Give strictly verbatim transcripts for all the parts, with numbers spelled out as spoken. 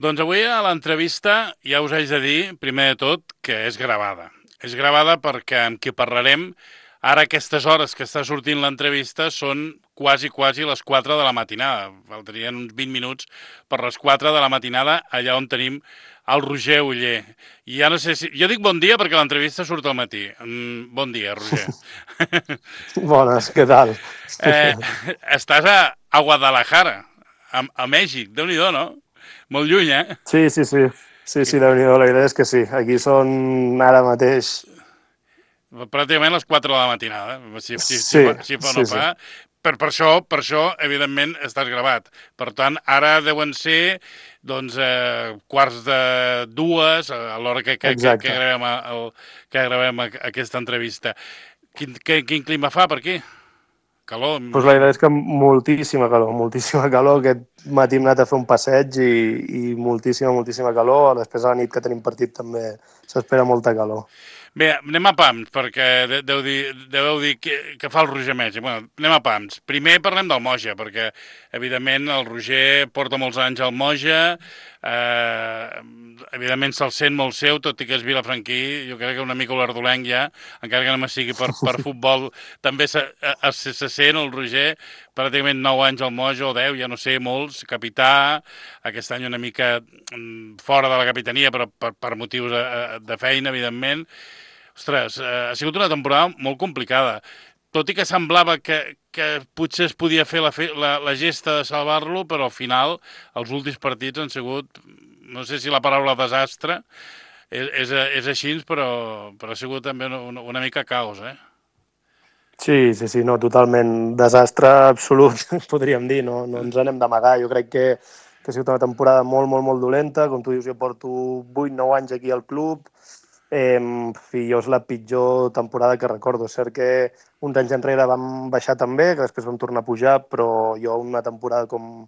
Doncs avui a l'entrevista ja us haig de dir, primer de tot, que és gravada. És gravada perquè amb qui parlarem, ara aquestes hores que està sortint l'entrevista són quasi, quasi les quatre de la matinada. Faltarien uns vint minuts per les quatre de la matinada, allà on tenim el Roger Uller. I ja no sé si... Jo dic bon dia perquè l'entrevista surt al matí. Mm, bon dia, Roger. Bones, què tal? eh, estàs a, a Guadalajara, a, a Mèxic. Déu-n'hi-do, no? Molt lluny, eh? Sí, sí, sí. Sí, sí, déu-n'hi-do, la veritat és que sí. Aquí són ara mateix... Pràcticament a les quatre de la matinada, eh? si, si, si, Sí, fa, si fa o no sí, sí. fa. Per, per, això, per això, evidentment, estàs gravat. Per tant, ara deuen ser doncs, eh, quarts de dues, a l'hora que, que, que, que Exacte. gravem, el, que gravem aquesta entrevista. Quin, que, quin clima fa per aquí? Calor, Doncs la m'imagino. veritat és que moltíssima calor, moltíssima calor. Aquest matí hem anat a fer un passeig i, i moltíssima, moltíssima calor. Després a la nit que tenim partit també s'espera molta calor. Bé, anem a pams, perquè de- deu dir, deveu dir que, que fa el Roger Metge. Bueno, anem a pams. Primer parlem del Moja, perquè, evidentment, el Roger porta molts anys al Moja, eh, evidentment se'l sent molt seu, tot i que és vilafranquí, jo crec que una mica l'Ardolenc ja, encara que no me sigui per, per futbol, també se, eh, se, se sent el Roger, pràcticament nou anys al Moja, o deu, ja no sé, molts, capità, aquest any una mica mm, fora de la capitania, però per, per motius de, de feina, evidentment. Ostres, eh, ha sigut una temporada molt complicada. Tot i que semblava que, que potser es podia fer la, fe, la, la gesta de salvar-lo, però al final els últims partits han sigut, no sé si la paraula desastre és, és, és així, però, però ha sigut també una, una mica caos, eh? Sí, sí, sí, no, totalment desastre absolut, podríem dir, no, no ens anem d'amagar. Jo crec que, que ha sigut una temporada molt, molt, molt dolenta. Com tu dius, jo porto vuit nou anys aquí al club, eh, i jo és la pitjor temporada que recordo. És cert que uns anys enrere vam baixar també, que després vam tornar a pujar, però jo una temporada com,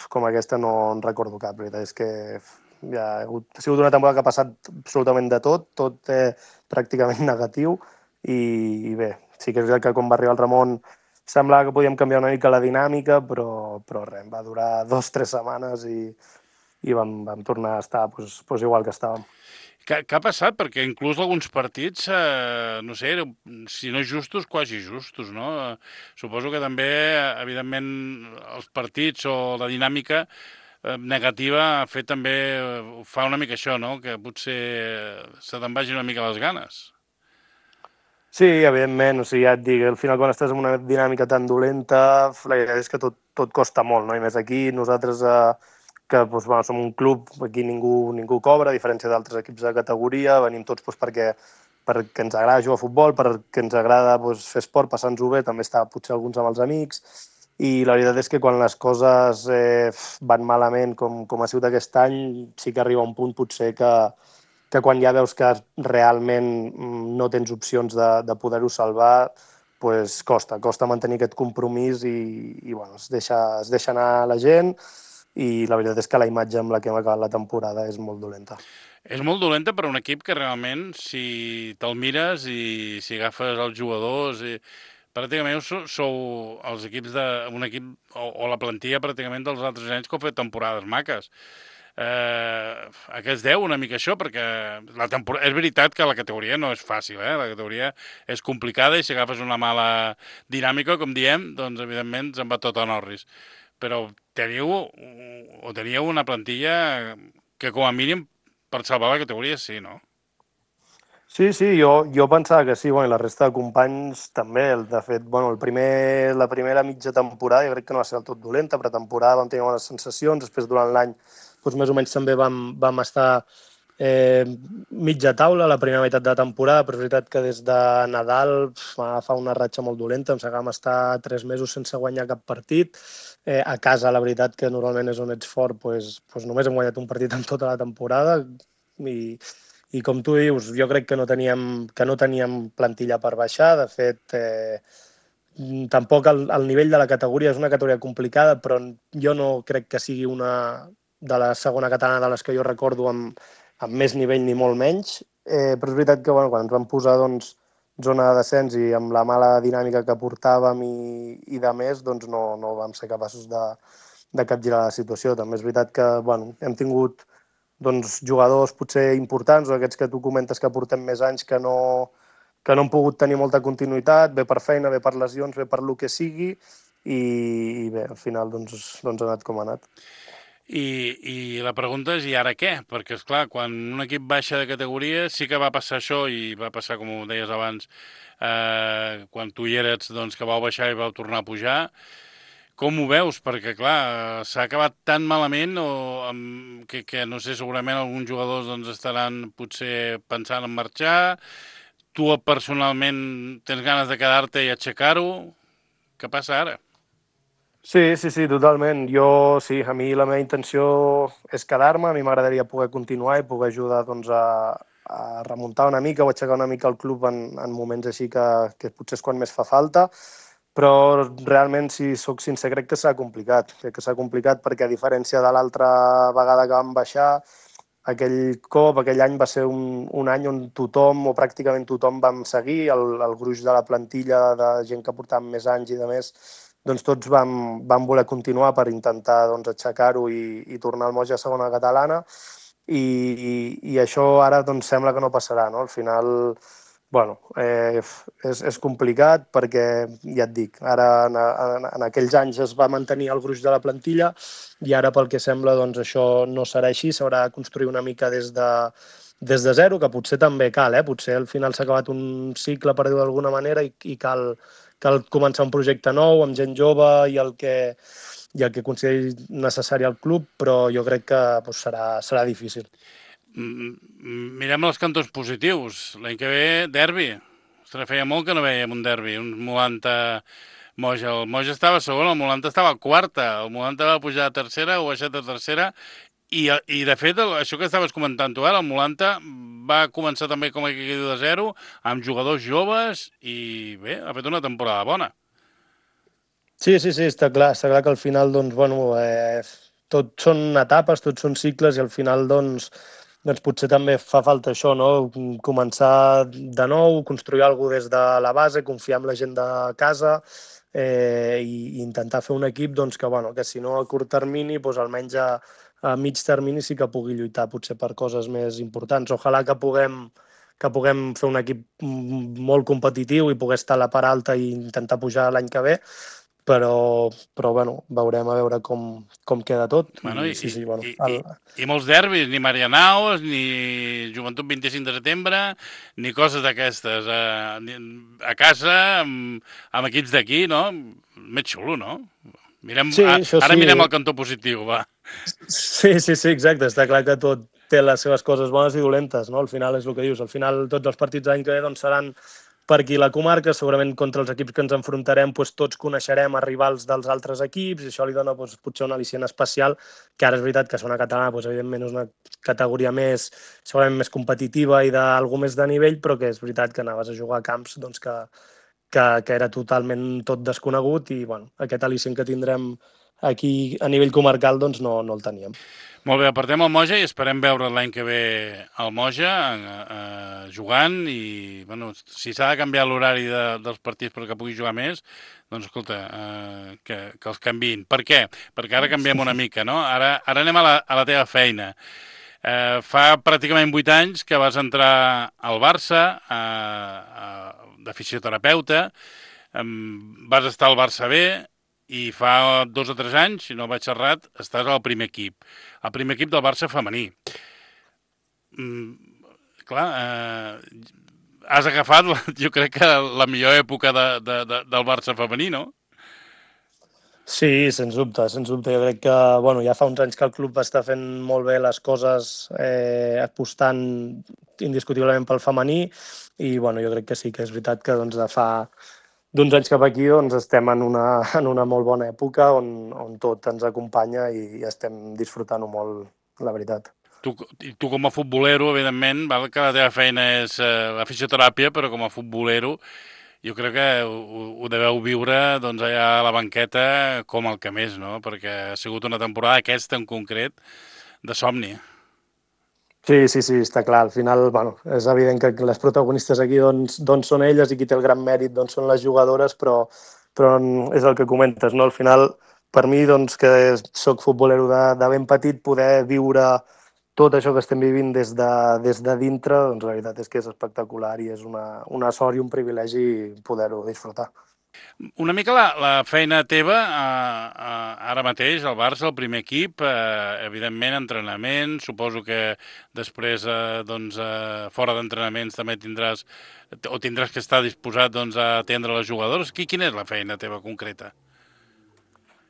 com aquesta no en recordo cap. La veritat és que ja ha, hagut, ha sigut una temporada que ha passat absolutament de tot, tot eh, pràcticament negatiu, i, i bé, sí que és veritat que quan va arribar el Ramon semblava que podíem canviar una mica la dinàmica, però, però res, va durar dos o tres setmanes i, i vam, vam tornar a estar pues, pues igual que estàvem. Què, què ha passat? Perquè inclús alguns partits, eh, no sé, si no justos, quasi justos, no? Eh, suposo que també, evidentment, els partits o la dinàmica eh, negativa ha fet també, eh, fa una mica això, no? Que potser se te'n vagin una mica les ganes. Sí, evidentment, o sigui, ja et dic, al final quan estàs en una dinàmica tan dolenta, la veritat és que tot, tot costa molt, no? I més aquí, nosaltres, eh, que doncs, bueno, som un club, aquí ningú, ningú cobra, a diferència d'altres equips de categoria, venim tots doncs, perquè, perquè ens agrada jugar a futbol, perquè ens agrada doncs, fer esport, passar-nos-ho bé, també està potser alguns amb els amics, i la veritat és que quan les coses eh, van malament, com, com ha sigut aquest any, sí que arriba un punt potser que, que quan ja veus que realment mm, no tens opcions de, de poder-ho salvar, pues costa, costa mantenir aquest compromís i, i bueno, es, deixa, es deixa anar la gent, i la veritat és que la imatge amb la que hem acabat la temporada és molt dolenta. És molt dolenta per a un equip que realment, si te'l mires i si agafes els jugadors, i, pràcticament sou, sou els equips de, un equip o, o la plantilla pràcticament dels altres anys que heu fet temporades maques. Eh, a què es deu una mica això? Perquè la temporada... és veritat que la categoria no és fàcil, eh? La categoria és complicada i si agafes una mala dinàmica, com diem, doncs evidentment se'n va tot a Norris. Però teniu, o teníeu una plantilla que com a mínim per salvar la categoria sí, no? Sí, sí, jo, jo pensava que sí, bueno, i la resta de companys també. De fet, bueno, el primer, la primera mitja temporada jo crec que no va ser del tot dolenta, però temporada vam tenir bones sensacions, després durant l'any doncs més o menys també vam, vam estar eh, mitja taula la primera meitat de la temporada, però és veritat que des de Nadal pf, va agafar una ratxa molt dolenta, em sembla que vam estar tres mesos sense guanyar cap partit. Eh, a casa, la veritat que normalment és on ets fort, doncs, doncs només hem guanyat un partit en tota la temporada, i, i com tu dius, jo crec que no teníem, que no teníem plantilla per baixar. De fet, eh, tampoc el, el nivell de la categoria és una categoria complicada, però jo no crec que sigui una de la segona catalana de les que jo recordo amb, amb més nivell ni molt menys. Eh, però és veritat que bueno, quan ens vam posar doncs, zona de descens i amb la mala dinàmica que portàvem i, i de més, doncs no, no vam ser capaços de, de capgirar la situació. També és veritat que bueno, hem tingut doncs, jugadors potser importants, o aquests que tu comentes que portem més anys que no, que no han pogut tenir molta continuïtat, bé per feina, bé per lesions, bé per lo que sigui, i, i bé, al final doncs, doncs ha anat com ha anat. I, I la pregunta és, i ara què? Perquè, és clar, quan un equip baixa de categoria sí que va passar això, i va passar, com ho deies abans, eh, quan tu hi eres, doncs, que vau baixar i vau tornar a pujar. Com ho veus? Perquè, clar, s'ha acabat tan malament o amb, que, que, no sé, segurament alguns jugadors doncs, estaran potser pensant en marxar. Tu personalment tens ganes de quedar-te i aixecar-ho? Què passa ara? Sí, sí, sí, totalment. Jo, sí, a mi la meva intenció és quedar-me, a mi m'agradaria poder continuar i poder ajudar doncs, a, a remuntar una mica o aixecar una mica el club en, en moments així que, que potser és quan més fa falta, però realment, si sóc sincer, crec que s'ha complicat. Crec que s'ha complicat perquè, a diferència de l'altra vegada que vam baixar, aquell cop, aquell any va ser un, un any on tothom, o pràcticament tothom, vam seguir, el, el gruix de la plantilla de gent que portàvem més anys i de més, doncs tots vam, vam voler continuar per intentar doncs, aixecar-ho i, i tornar al Moja a segona catalana, i, i, i això ara doncs, sembla que no passarà, no? Al final, bueno, eh, és, és complicat perquè, ja et dic, ara en, en, en aquells anys es va mantenir el gruix de la plantilla i ara, pel que sembla, doncs això no serà així, s'haurà de construir una mica des de, des de zero, que potser també cal, eh? Potser al final s'ha acabat un cicle, per dir-ho d'alguna manera, i, i cal, cal començar un projecte nou amb gent jove i el que, i el que consideri necessari al club, però jo crec que doncs, serà, serà difícil. Mirem els cantons positius. L'any que ve, derbi. Ostres, feia molt que no veiem un derbi. Un Molanta Moja. El Moja estava segon, el Molanta estava quarta. El Molanta va pujar a tercera o baixat a tercera. I, i de fet, el, això que estaves comentant tu ara, el Molanta va començar també com a equip de zero, amb jugadors joves, i bé, ha fet una temporada bona. Sí, sí, sí, està clar. Està clar que al final, doncs, bueno, eh, tot són etapes, tots són cicles, i al final, doncs, doncs potser també fa falta això, no? Començar de nou, construir alguna cosa des de la base, confiar en la gent de casa, eh, i, i intentar fer un equip doncs, que, bueno, que si no a curt termini, doncs almenys a, a mig termini sí que pugui lluitar potser per coses més importants. Ojalà que puguem, que puguem fer un equip molt competitiu i poder estar a la part alta i intentar pujar l'any que ve, però, però bueno, veurem a veure com, com queda tot. Bueno, i, I, sí, sí, bueno, i, el... i, i molts derbis, ni Marianaos, ni Joventut vint-i-cinc de setembre, ni coses d'aquestes. A, a casa, amb, amb equips d'aquí, no? Més xulo, no? Mirem, sí, a, ara sí. mirem el cantó positiu, va. Sí, sí, sí, exacte. Està clar que tot té les seves coses bones i dolentes, no? Al final és el que dius. Al final tots els partits d'any que ve doncs, seran per aquí la comarca, segurament contra els equips que ens enfrontarem doncs, tots coneixerem a rivals dels altres equips i això li dona doncs, potser una al·licient especial, que ara és veritat que segona catalana doncs, evidentment és una categoria més, segurament més competitiva i d'algú més de nivell, però que és veritat que anaves a jugar a camps doncs, que, que, que era totalment tot desconegut i bueno, aquest al·licient que tindrem aquí a nivell comarcal doncs, no, no el teníem. Molt bé, apartem el Moja i esperem veure l'any que ve el Moja eh, eh, jugant i, bueno, si s'ha de canviar l'horari de, dels partits perquè pugui jugar més, doncs, escolta, eh, que, que els canviïn. Per què? Perquè ara canviem una mica, no? Ara, ara anem a la, a la teva feina. Eh, fa pràcticament vuit anys que vas entrar al Barça eh, eh, de fisioterapeuta, eh, vas estar al Barça B, i fa dos o tres anys, si no vaig errat, estàs al primer equip. El primer equip del Barça femení. Mm, clar, eh, has agafat, jo crec que la millor època de, de, de, del Barça femení, no? Sí, sens dubte, sens dubte. Jo crec que bueno, ja fa uns anys que el club està fent molt bé les coses, eh, apostant indiscutiblement pel femení, i bueno, jo crec que sí, que és veritat que doncs, de fa d'uns anys cap aquí doncs, estem en una, en una molt bona època on, on tot ens acompanya i estem disfrutant-ho molt, la veritat. Tu, tu com a futbolero, evidentment, val que la teva feina és eh, la fisioteràpia, però com a futbolero jo crec que ho, ho deveu viure doncs, allà a la banqueta com el que més, no? Perquè ha sigut una temporada aquesta en concret de somni. Sí, sí, sí, està clar. Al final, bueno, és evident que les protagonistes aquí doncs, doncs són elles i qui té el gran mèrit doncs són les jugadores, però, però és el que comentes, no? Al final per mi, doncs, que soc futbolero de, de ben petit, poder viure tot això que estem vivint des de, des de dintre, doncs la veritat és que és espectacular i és una, una sort i un privilegi poder-ho disfrutar. Una mica la, la feina teva, eh, eh, ara mateix, al Barça, el primer equip, eh, evidentment, entrenament, suposo que després, eh, doncs, eh, fora d'entrenaments també tindràs, o tindràs que estar disposat, doncs, a atendre les jugadores. Qui, quina és la feina teva concreta?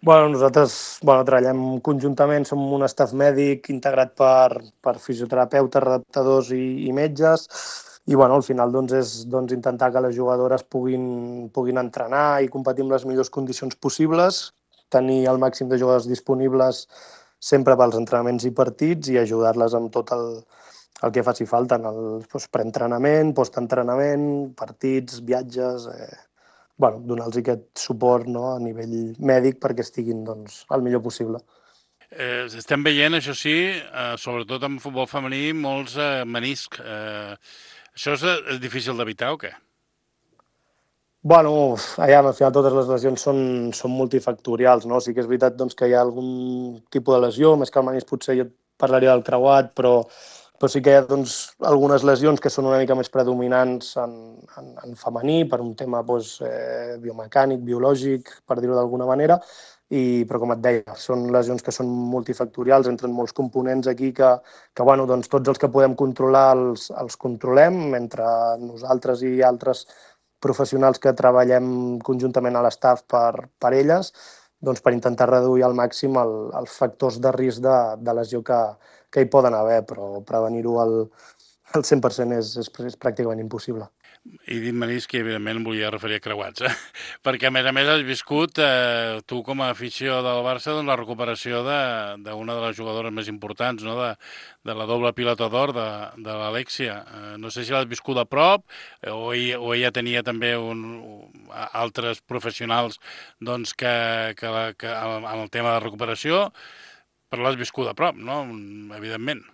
Bueno, nosaltres bueno, treballem conjuntament, som un staff mèdic integrat per, per fisioterapeutes, redactadors i, i metges, i bueno, al final doncs, és doncs, intentar que les jugadores puguin, puguin entrenar i competir amb les millors condicions possibles, tenir el màxim de jugadors disponibles sempre pels entrenaments i partits i ajudar-les amb tot el, el que faci falta en el doncs, preentrenament, postentrenament, partits, viatges... Eh, bueno, donar-los aquest suport, no, a nivell mèdic perquè estiguin doncs, el millor possible. Eh, estem veient, això sí, eh, sobretot en futbol femení, molts eh, meniscs. Eh, això és, és difícil d'evitar o què? Bueno, allà, al final totes les lesions són, són multifactorials, no? Sí que és veritat doncs, que hi ha algun tipus de lesió, més que el menisc potser jo et parlaria del creuat, però, però sí que hi ha doncs, algunes lesions que són una mica més predominants en, en, en femení per un tema doncs, eh, biomecànic, biològic, per dir-ho d'alguna manera, i, però com et deia, són lesions que són multifactorials, entren molts components aquí que, que bueno, doncs, tots els que podem controlar els, els controlem, mentre nosaltres i altres professionals que treballem conjuntament a l'estaf per, per elles, doncs per intentar reduir al màxim el, els factors de risc de, de lesió que, que hi poden haver, però prevenir-ho al, al cent per cent és, és, és pràcticament impossible. I dit menisc, que evidentment volia referir a creuats, eh? Perquè a més a més has viscut, eh, tu com a afició del Barça, doncs, la recuperació d'una de, de les jugadores més importants, no? de, de la doble pilota d'or de, de l'Alexia. Eh, no sé si l'has viscut a prop eh, o, ella, o ella tenia també un, un, altres professionals doncs, que, que, la, que en el tema de recuperació, però l'has viscut a prop, no? Evidentment.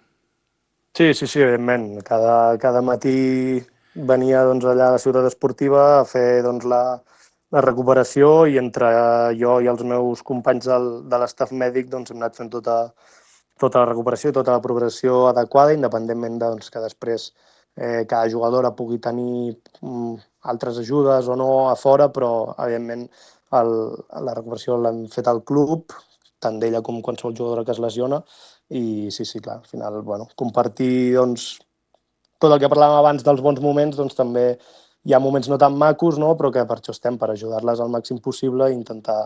Sí, sí, sí, evidentment. Cada, cada matí venia doncs, allà a la ciutat esportiva a fer doncs, la, la recuperació i entre jo i els meus companys del, de l'estaf mèdic doncs, hem anat fent tota, tota la recuperació i tota la progressió adequada, independentment de, doncs, que després eh, cada jugadora pugui tenir mm, altres ajudes o no a fora, però evidentment el, la recuperació l'hem fet al club, tant d'ella com qualsevol jugadora que es lesiona, i sí, sí, clar, al final, bueno, compartir doncs, tot el que parlàvem abans dels bons moments, doncs també hi ha moments no tan macos, no? Però que per això estem, per ajudar-les al màxim possible i intentar,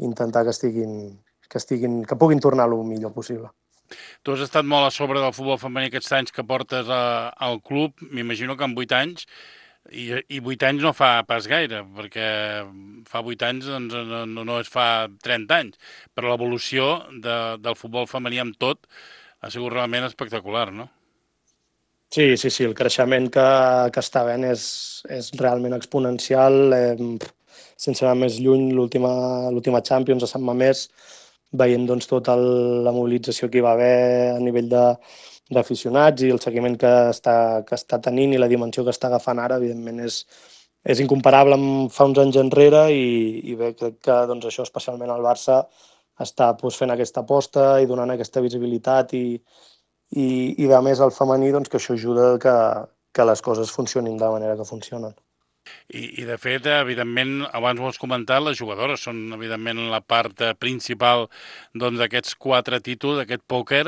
intentar que, estiguin, que, estiguin, que puguin tornar el millor possible. Tu has estat molt a sobre del futbol femení aquests anys que portes a, al club, m'imagino que en vuit anys, i, i vuit anys no fa pas gaire, perquè fa vuit anys doncs, no, no, no es fa trenta anys, però l'evolució de, del futbol femení amb tot ha sigut realment espectacular, no? Sí, sí, sí, el creixement que, que està havent és, és realment exponencial. Eh, sense anar més lluny, l'última Champions a Sant Mamés, veient doncs, tota el, la mobilització que hi va haver a nivell de d'aficionats i el seguiment que està, que està tenint i la dimensió que està agafant ara, evidentment, és, és incomparable amb fa uns anys enrere i, i bé, crec que doncs, això, especialment al Barça, està doncs, fent aquesta aposta i donant aquesta visibilitat i, i, i de més al femení, doncs, que això ajuda que, que les coses funcionin de la manera que funcionen. I, i de fet, evidentment, abans ho has comentat, les jugadores són, evidentment, la part principal doncs, d'aquests doncs, quatre títols, d'aquest pòquer,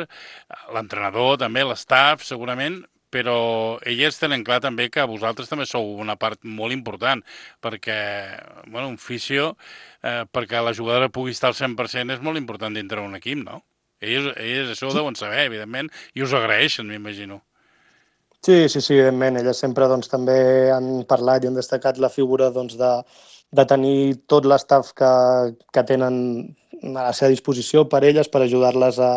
l'entrenador també, l'estaf, segurament, però elles tenen clar també que vosaltres també sou una part molt important, perquè, bueno, un fisio, eh, perquè la jugadora pugui estar al cent per cent és molt important dintre d'un equip, no? Elles, elles això ho deuen saber, evidentment, i us agraeixen, m'imagino. Sí, sí, sí, evidentment. Elles sempre doncs, també han parlat i han destacat la figura doncs, de, de tenir tot l'estaf que, que tenen a la seva disposició per elles, per ajudar-les a,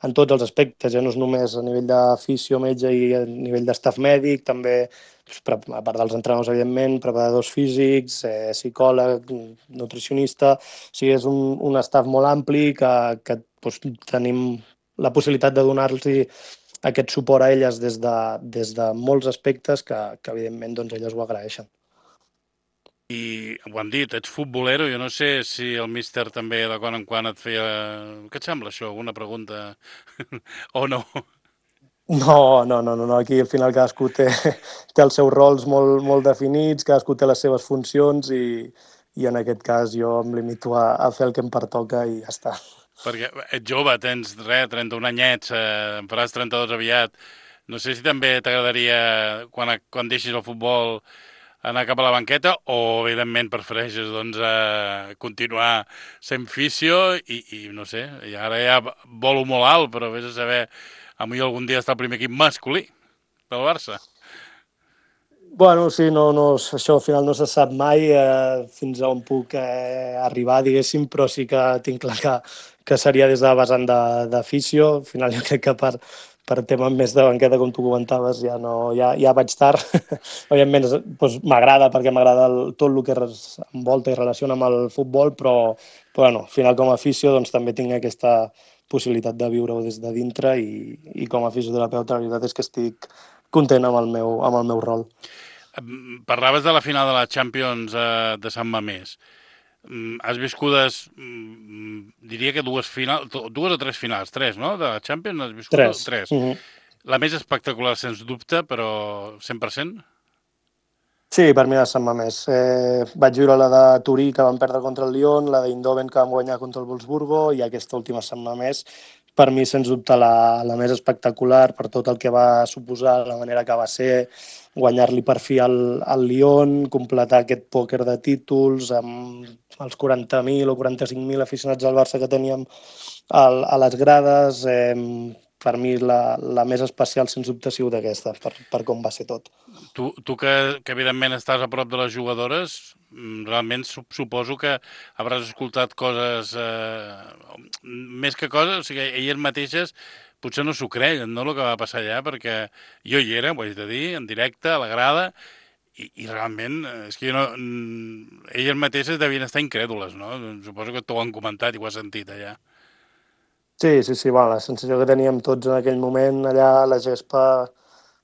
en tots els aspectes, ja no és només a nivell d'afició, metge i a nivell d'estaf mèdic, també, a part dels entrenadors, evidentment, preparadors físics, eh, psicòleg, nutricionista, o sigui, és un, un estaf molt ampli que, que doncs, tenim la possibilitat de donar-los aquest suport a elles des de, des de molts aspectes que, que evidentment, doncs, elles ho agraeixen. I ho han dit, ets futbolero, jo no sé si el míster també de quan en quan et feia... Què et sembla això? Alguna pregunta? O no? No, no, no, no, no. Aquí al final cadascú té, té els seus rols molt, molt definits, cadascú té les seves funcions i, i en aquest cas jo em limito a, a fer el que em pertoca i ja està. Perquè ets jove, tens, res, trenta-un anyets, eh, en faràs trenta-dos aviat. No sé si també t'agradaria, quan, quan deixis el futbol, anar cap a la banqueta o, evidentment, prefereixes doncs, eh, continuar sent fisio i, i, no sé, i ara ja volo molt alt, però vés a saber, a mi algun dia està el primer equip masculí del Barça. Bueno, sí, no, no, això al final no se sap mai eh, fins a on puc eh, arribar, diguéssim, però sí que tinc clar que, que seria des de la vessant de, de fisio. Al final jo crec que per, per temes més de banqueta, com tu comentaves, ja, no, ja, ja vaig tard. Òbviament doncs, m'agrada perquè m'agrada el, tot el que es envolta i relaciona amb el futbol, però, però bueno, al final com a fisio doncs, també tinc aquesta possibilitat de viure-ho des de dintre i, i com a fisioterapeuta la veritat és que estic content amb el meu, amb el meu rol. Parlaves de la final de la Champions eh, de Sant Mamés. Mm, Has viscudes, mm, diria que dues finals, dues o tres finals, tres, no? De la Champions has viscut Tres. tres. Mm -hmm. La més espectacular, sens dubte, però cent per cent? Sí, per mi va ser més. Eh, vaig viure la de Turí, que van perdre contra el Lyon, la d'Eindhoven, que van guanyar contra el Wolfsburgo, i aquesta última setmana més, per mi, sens dubte, la, la més espectacular per tot el que va suposar, la manera que va ser, guanyar-li per fi al, al Lyon, completar aquest pòquer de títols amb els quaranta mil o quaranta-cinc mil aficionats al Barça que teníem al, a les grades. Eh, per mi la, la més especial, sens dubte, ha sigut aquesta, per, per com va ser tot. Tu, tu que, que evidentment estàs a prop de les jugadores, mm, realment suposo que hauràs escoltat coses, eh, més que coses, o sigui, elles mateixes potser no s'ho creien, no?, el que va passar allà, perquè jo hi era, ho haig de dir, en directe, a la grada, i, i realment, eh, és que jo no, mm, elles mateixes devien estar incrèdules, no? Suposo que t'ho han comentat i ho has sentit allà. Sí, sí, sí, bueno, la sensació que teníem tots en aquell moment allà a la gespa,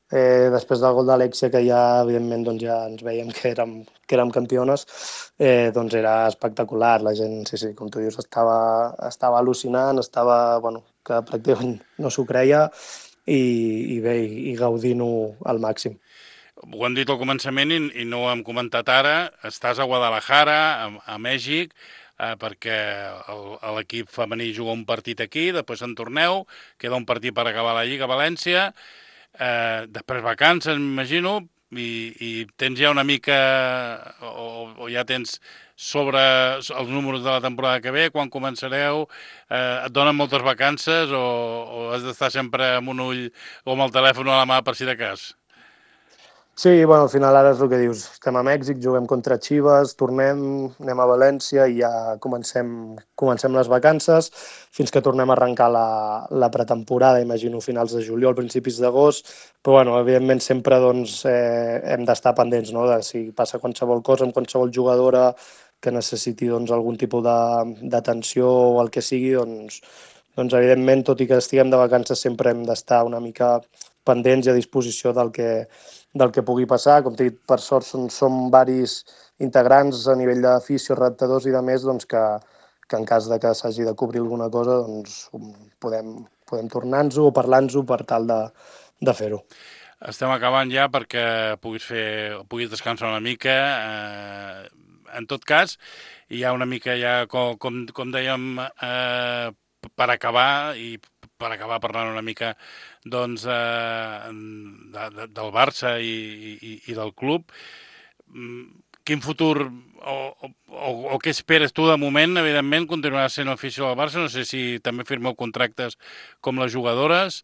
eh, després del gol d'Alexia, que ja, evidentment, doncs ja ens veiem que érem, que érem campiones, eh, doncs era espectacular. La gent, sí, sí, com tu dius, estava, estava al·lucinant, estava, bueno, que pràcticament no s'ho creia i, i bé, i, i gaudint-ho al màxim. Ho hem dit al començament i, i no ho hem comentat ara, estàs a Guadalajara, a, a Mèxic, eh, perquè l'equip femení juga un partit aquí, després en torneu, queda un partit per acabar la Lliga a València, eh, després vacances, m'imagino, i, i tens ja una mica, o, o ja tens sobre els números de la temporada que ve, quan començareu, eh, et donen moltes vacances o, o has d'estar sempre amb un ull o amb el telèfon a la mà per si de cas? Sí, bueno, al final ara és el que dius. Estem a Mèxic, juguem contra Chivas, tornem, anem a València i ja comencem, comencem les vacances fins que tornem a arrencar la, la pretemporada, imagino finals de juliol, principis d'agost, però bueno, evidentment sempre doncs, eh, hem d'estar pendents, no?, de si passa qualsevol cosa amb qualsevol jugadora que necessiti doncs, algun tipus d'atenció o el que sigui, doncs, doncs evidentment, tot i que estiguem de vacances, sempre hem d'estar una mica pendents i a disposició del que, del que pugui passar. Com t'he dit, per sort són, som varis integrants a nivell d'afició, redactadors i de més, doncs que, que en cas de que s'hagi de cobrir alguna cosa, doncs podem, podem tornar-nos-ho o parlar-nos-ho per tal de, de fer-ho. Estem acabant ja perquè puguis fer, puguis descansar una mica. Eh, en tot cas, hi ha una mica ja, com, com, com dèiem, eh, per acabar i per acabar parlant una mica doncs, eh, de, de, del Barça i, i, i del club. Quin futur o, o, o què esperes tu de moment? Evidentment, continuaràs sent oficial del Barça. No sé si també firmeu contractes com les jugadores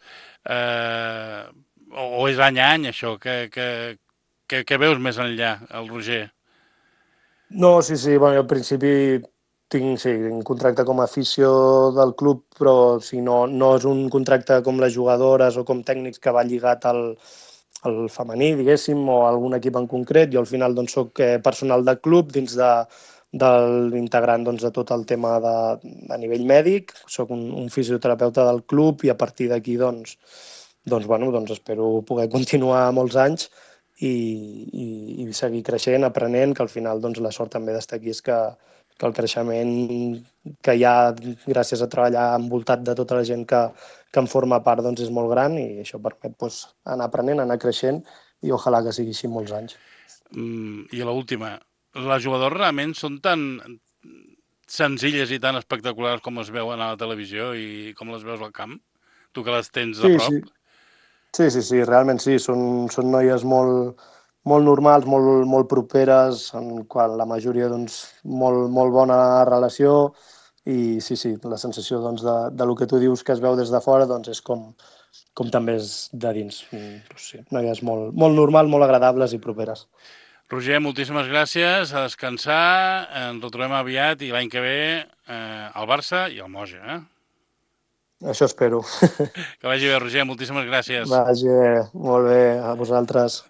eh, o, o és any a any això. Que, que, que, que veus més enllà, el Roger? No, sí, sí, bueno, al principi tinc, sí, un contracte com a afició del club, però sí, no, no és un contracte com les jugadores o com tècnics que va lligat al, al femení, diguéssim, o a algun equip en concret. Jo al final doncs, soc personal de club dins de, de l'integrant doncs, de tot el tema de, a nivell mèdic, soc un, un fisioterapeuta del club i a partir d'aquí doncs, doncs, bueno, doncs espero poder continuar molts anys i, i, i seguir creixent, aprenent, que al final doncs, la sort també d'estar aquí és que, que el creixement que hi ha gràcies a treballar envoltat de tota la gent que, que en forma part doncs, és molt gran i això permet doncs, anar aprenent, anar creixent i ojalà que sigui així molts anys. Mm, I l'última, les jugadors realment són tan senzilles i tan espectaculars com es veuen a la televisió i com les veus al camp? Tu que les tens de Sí, prop? sí, sí, sí, sí, realment sí, són, són noies molt, molt normals, molt, molt properes, en qual la majoria doncs, molt, molt bona relació i sí, sí, la sensació doncs, de, de lo que tu dius que es veu des de fora doncs, és com, com també és de dins. Mm, Doncs sí, noies molt, molt normal, molt agradables i properes. Roger, moltíssimes gràcies, a descansar, ens retrobem aviat i l'any que ve eh, al Barça i al Moja. Eh? Això espero. Que vagi bé, Roger, moltíssimes gràcies. Vagi, molt bé, a vosaltres.